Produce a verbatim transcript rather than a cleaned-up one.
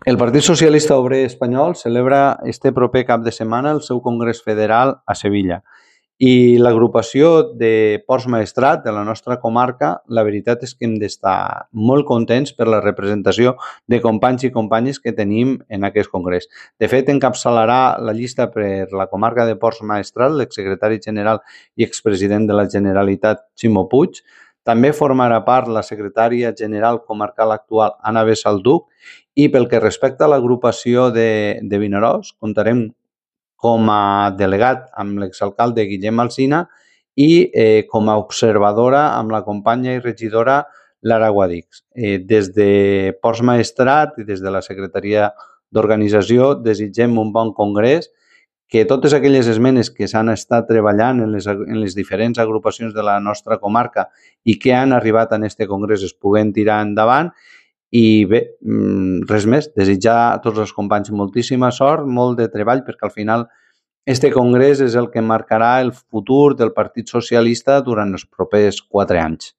El Partit Socialista Obrer Espanyol celebra este proper cap de setmana el seu Congrés Federal a Sevilla. I l'agrupació de Ports Maestrat de la nostra comarca, la veritat és que hem d'estar molt contents per la representació de companys i companyes que tenim en aquest congrés. De fet, encapçalarà la llista per la comarca de Ports Maestrat l'exsecretari general i expresident de la Generalitat, Ximo Puig. També formarà part la secretària general comarcal actual, Anna Bessalduc, i pel que respecta a l'agrupació de, de Vinaròs, comptarem com a delegat amb l'exalcalde Guillem Alsina i eh, com a observadora amb la companya i regidora Lara Guadix. Eh, des de Ports Maestrat i des de la Secretaria d'Organització desitgem un bon congrés, que totes aquelles esmenes que s'han estat treballant en les, en les diferents agrupacions de la nostra comarca i que han arribat en este congrés es puguen tirar endavant. I bé, res més, desitjar a tots els companys moltíssima sort, molt de treball, perquè al final este congrés és el que marcarà el futur del Partit Socialista durant els propers quatre anys.